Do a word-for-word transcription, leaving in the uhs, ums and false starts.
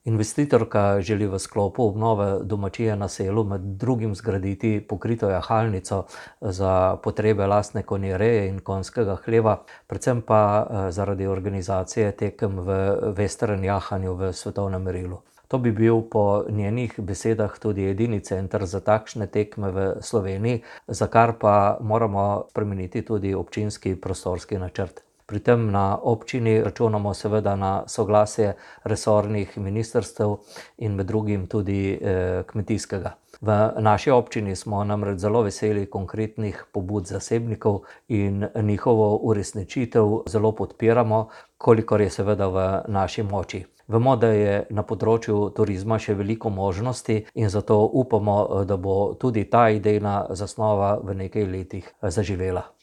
Investitorka želi v sklopu obnove domačije na Selu med drugim zgraditi pokrito jahalnico za potrebe lastne konjereje in konjskega hleva, predvsem pa zaradi organizacije tekem v western jahanju v svetovnem merilu. To bi bil po njenih besedah tudi edini center za takšne tekme v Sloveniji, za kar pa moramo spremeniti tudi občinski prostorski načrt. Pri tem na občini računamo seveda na soglasje resornih ministrstev in med drugim tudi kmetijskega. V naši občini smo namreč zelo veseli konkretnih pobud zasebnikov in njihovo uresničitev zelo podpiramo, kolikor je seveda v naši moči. Vemo, da je na področju turizma še veliko možnosti in zato upamo, da bo tudi ta idejna zasnova v nekaj letih zaživela.